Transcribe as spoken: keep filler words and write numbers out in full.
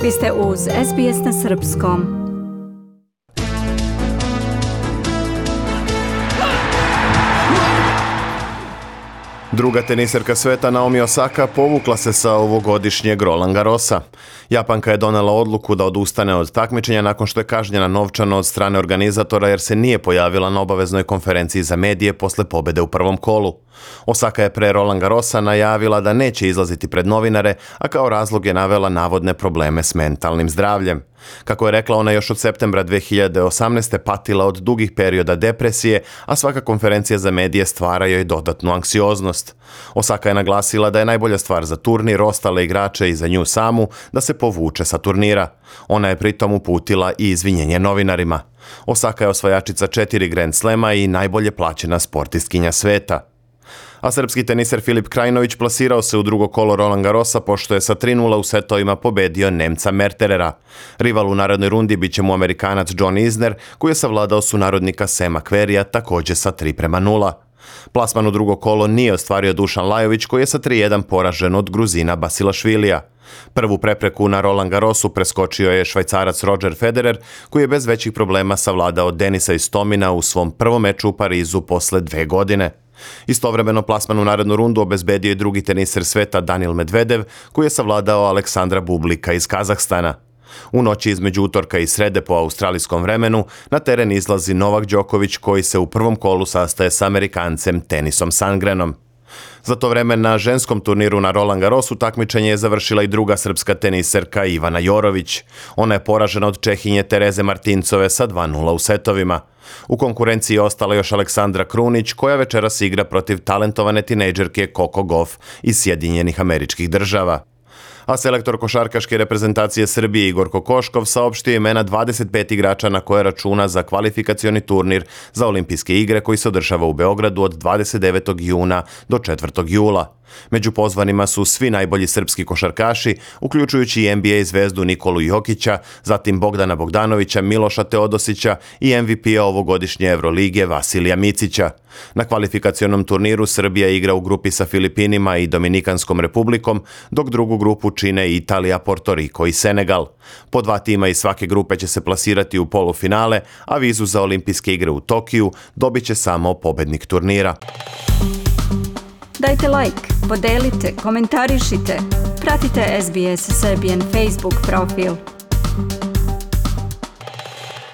Vi ste uz S B S na srpskom. Druga teniserka sveta Naomi Osaka povukla se sa ovogodišnjeg Roland Garrosa. Japanka je donela odluku da odustane od takmičenja nakon što je kažnjena novčano od strane organizatora jer se nije pojavila na obaveznoj konferenciji za medije posle pobede u prvom kolu. Osaka je pre Roland Garrosa najavila da neće izlaziti pred novinare, a kao razlog je navela navodne probleme s mentalnim zdravljem. Kako je rekla, ona još od septembra dve hiljade osamnaeste. patila od dugih perioda depresije, a svaka konferencija za medije stvara joj dodatnu anksioznost. Osaka je naglasila da je najbolja stvar za turnir, ostale igrače i za nju samu da se povuče sa turnira. Ona je pritom uputila i izvinjenje novinarima. Osaka je osvajačica četiri Grand Slema i najbolje plaćena sportistkinja sveta. A srpski teniser Filip Krajinović plasirao se u drugo kolo Roland Garrosa pošto je sa tri nula u setovima pobedio Nemca Merterera. Rival u narednoj rundi biće mu Amerikanac John Isner, koji je savladao sunarodnika Sema Querreyja također sa tri prema nula. Plasman u drugo kolo nije ostvario Dušan Lajović, koji je sa tri jedan poražen od Gruzina Basilašvilija. Prvu prepreku na Roland Garrosu preskočio je Švajcarac Roger Federer, koji je bez većih problema savladao Denisa Istomina u svom prvom meču u Parizu posle dve godine. Istovremeno plasman u narednu rundu obezbedio je drugi teniser sveta Daniil Medvedev, koji je savladao Aleksandra Bublika iz Kazahstana. U noći između utorka i srede po australijskom vremenu na teren izlazi Novak Đoković, koji se u prvom kolu sastaje s Amerikancem Tenisom Sandgrenom. Za to vreme na ženskom turniru na Roland Garrosu takmičenje je završila i druga srpska teniserka Ivana Jorović. Ona je poražena od Čehinje Tereze Martincove sa dva nula u setovima. U konkurenciji je ostala još Aleksandra Krunić, koja večeras igra protiv talentovane tinejdžerke Coco Gauff iz Sjedinjenih Američkih Država. A selektor košarkaške reprezentacije Srbije Igor Kokoškov saopštio imena dvadeset pet igrača na koje računa za kvalifikacioni turnir za olimpijske igre koji se održava u Beogradu od dvadeset devetog juna do četvrtog jula. Među pozvanima su svi najbolji srpski košarkaši, uključujući i N B A zvezdu Nikolu Jokića, zatim Bogdana Bogdanovića, Miloša Teodosića i M V P-a ovogodišnje Evrolige Vasilija Micića. Na kvalifikacionom turniru Srbija igra u grupi sa Filipinima i Dominikanskom republikom, dok drugu grupu čine Italija, Porto Riko i Senegal. Po dva tima iz svake grupe će se plasirati u polufinale, a vizu za olimpijske igre u Tokiju dobit će samo pobednik turnira. Dajte like, podelite, komentarišite, pratite S B S Serbian Facebook profil.